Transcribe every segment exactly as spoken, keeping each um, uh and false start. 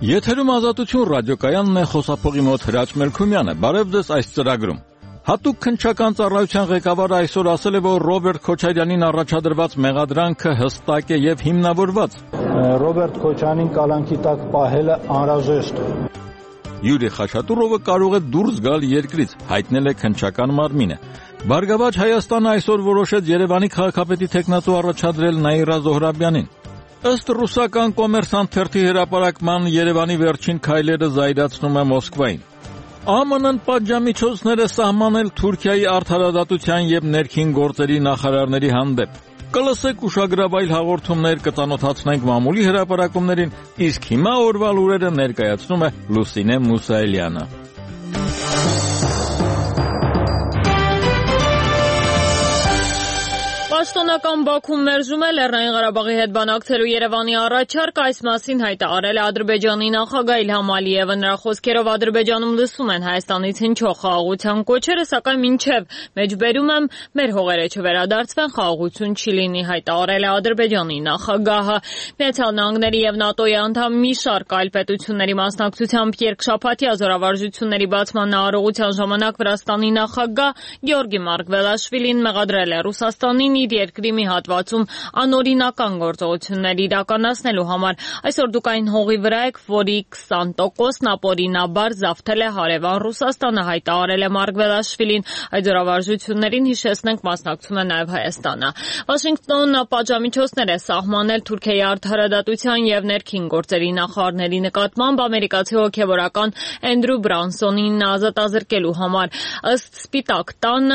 Եթերում Ազատություն ռադիոկայանն է, խոսափողի մոտ Հրաչ Մելքումյանը։ Բարև ձեզ այս ծրագրում։ Հատուկ քննչական ծառայության ղեկավարը այսօր ասել է, որ Ռոբերտ Քոչարյանին առաջադրված մեղադրանքը հստակ է եւ հիմնավորված։ Ռոբերտ Քոչարյանին կալանքի տակ պահելը անհրաժեշտ է։ Յուրի Խաչատուրովը կարող է դուրս գալ երկրից, հայտնել է քննչական մարմինը։ Բարգավաճ Հայաստանը այսօր որոշեց Երևանի քաղաքապետի թեկնածու առաջադրել Նաիրա Զոհրաբյանին։ Ըստ ռուսական Կոմերսանտ թերթի հրապարակման Երևանի վերջին քայլերը զայրացնում է Մոսկվային։ ԱՄՆ-ն պատժամիջոցներ է սահմանել Թուրքիայի արդարադատության եւ ներքին գործերի նախարարների հանդեպ։ Կլսեք ուշագրավայր հաղորդումներ, կծանոթացնենք մամուլի հրապարակումներին, իսկ հիմա օրվա լուրերը ներկայացնում է Լուսինե Մուսայելյանը։ Պաշտոնական Բաքուն մերժում է Լեռնային Ղարաբաղի հետ բանակցելու Երևանի առաջարկը, այս մասին հայտարարել է Ադրբեջանի նախագահ Իլհամ Ալիևը։ Նրա խոսքերով Ադրբեջանում լսում են Հայաստանից հնչող խաղաղության կոչերը, սակայն մինչև մեջբերում եմ մեր հողերը չվերադարձվեն, խաղաղություն չի լինի, հայտարարել է Ադրբեջանի նախագահը։ Միացյալ Նահանգների եւ ՆԱՏՕ-ի անդամ մի շարք այլ պետությունների մասնակցությամբ երկշաբաթյա զորավարժությունների բացման արարողության ժամանակ Վրաստանի նախագահ Գեորգի Մարգվելաշվիլին մեղադրել է Ռուսաստանին իր երկրի մի հատվածում անօրինական գործողություններ իրականացնելու համար։ Այսօր դուք այն հողի վրա եք, որի քսան տոկոսն ապօրինաբար զավթել է հարևան Ռուսաստանը, հայտարարել է Մարգվելաշվիլին։ Այդ զորավարժություններին, հիշեցնենք, մասնակցում է նաև Հայաստանը։ Վաշինգտոնը պատժամիջոցներ է սահմանել Թուրքիայի արդարադատության եւ ներքին գործերի նախարարների նկատմամբ ամերիկացի հոգեվորական Էնդրու Բրանսոնին ազատազրկելու համար։ Ըստ Սպիտակ տան,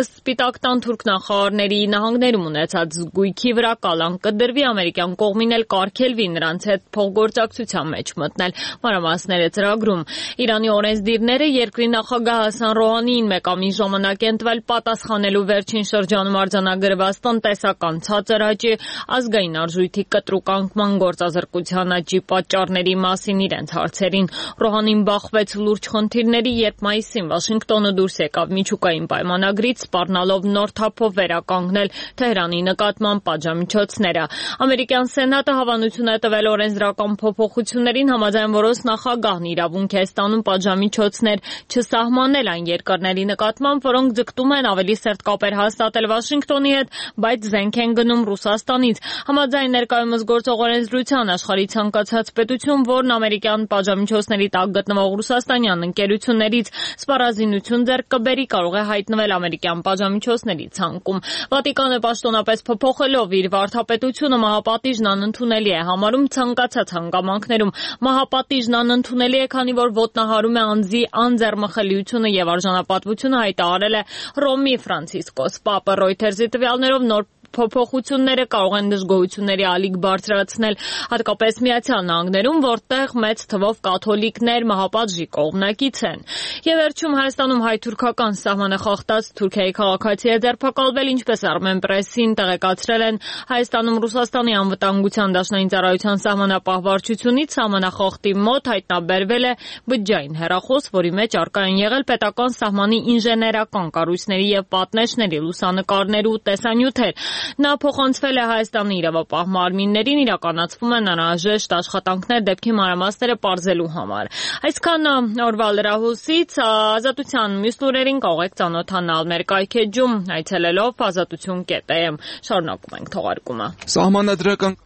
ըստ Սպիտակ տան թուրք նախարարների Նահանգներում ունեցած զգույքի վրա կալանք կդրվի, ամերիկյան կողմին էլ կարգելվի նրանց հետ փոխգործակցության մեջ մտնել։ Մանրամասները ծրագրում։ Իրանի օրենսդիրները երկրի նախագահ Հասան Ռոհանիին մեկ ամիս ժամանակ են տվել պատասխանելու վերջին շրջանում արձանագրված տնտեսական ցածր աճի, ազգային արժույթի կտրուկ անկման, գործազրկության աճի պատճառների մասին իրենց հարցերին։ Ռոհանին բախվեց լուրջ խնդիրների, երբ մայիսին Վաշինգտոնը դուրս եկավ միջուկային պայմանագրից, սպառնալով նոր թափով վերականգնել Թեհրանի նկատմամբ պատժամիջոցները։ Ամերիկյան Սենատը հավանություն է տվել օրենսդրական փոփոխություններին, համաձայն որոնց նախագահն իրավունք է ստանում պատժամիջոցներ չսահմանել այն երկրների նկատմամբ, որոնք ձգտում են ավելի սերտ կապեր հաստատել Վաշինգտոնի հետ, բայց զենք են գնում Ռուսաստանից։ Համաձայն ներկայումս գործող օրենսդրության, աշխարհի ցանկացած պետություն, որն ամերիկյան պատժամիջոցների տակ գտնվող ռուսաստանյան ընկերություններից սպառազինություն ձեռք կբերի, կարող է հայտնվել ամերիկյան պատժամիջոցների ցանկում։ Վատիկանը պաշտոնապես փոփոխելով իր վարդապետությունը մահապատիժն անընդունելի է համարում ցանկացած հանգամանքներում։ Մահապատիժն անընդունելի է, քանի որ ոտնահարում է անձի անձեռմխելիությունը եւ արժանապատվությունը, հայտարարել է Ռոմի Ֆրանցիսկոս Պապը։ Ռոյթերզի տվյալներով նոր փոփոխությունները կարող են դժգոհությունների ալիք բարձրացնել, հատկապես Միացյալ Նահանգներում, որտեղ մեծ թվով կաթոլիկներ մահապատժի կողմնակից են։ Եվ վերջում Հայաստանում հայ-թուրքական սահմանը խախտած Թուրքիայի քաղաքացի է ձերբակալվել, ինչպես Armen Press-ին տեղեկացրել են Հայաստանում Ռուսաստանի անվտանգության դաշնային ծառայության սահմանապահ վարչությունից, սահմանախախտի մոտ հայտնաբերվել է բջջային հեռախոս, որի մեջ առկա են եղել պետական սահմանի ինժեներական կառույցների եւ պատնեշների լուսանկարներ ու տեսանյութեր։ Նա փոխանցվել է Հայաստանի իրավապահ մարմիններին, իրականացվում են անհրաժեշտ աշխատանքներ դեպքի մանրամասները պարզելու համար։ Այսքան օրվա լրահոսից, Ազատության մյուս լուրերին կարող եք ծանոթանալ մեր կայքեջում այցելելով ազատություն կետ am։ Շարունակում ենք թողարկումը։ Սահմանադրական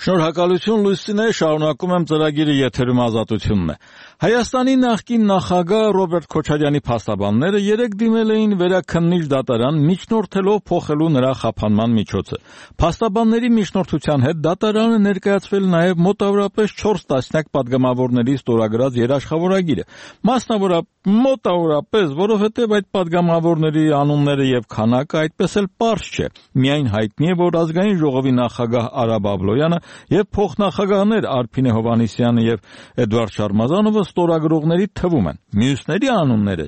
Շնորհակալություն Լուսինե, շարունակում եմ ծրագիրը, եթերում Ազատությունն է։ Հայաստանի նախկին նախագահ Ռոբերտ Քոչարյանի փաստաբանները երեկ դիմել էին վերաքննիչ դատարան, միջնորդելով փոխելու նրա խափանման միջոցը։ Փաստաբանների միջնորդության հետ դատարանը ներկայացվել նաև մոտավորապես չորս տասնյակ պատգամավորների ստորագրած երաշխավորագիրը։ Մասնավորապես մոտավորապես, որովհետև այդ պատգամավորների անունները եւ քանակը այդպես էլ պարզ չէ։ Միայն հայտնի է, որ ազգային ժողովի նախագահ Արա Բաբլոյանը եւ փոխնախագահներ Արփինե Հովհաննիսյանը եւ Էդվարդ Շարմազանովը ստորագրողների թվում են։ Մյուսների անունները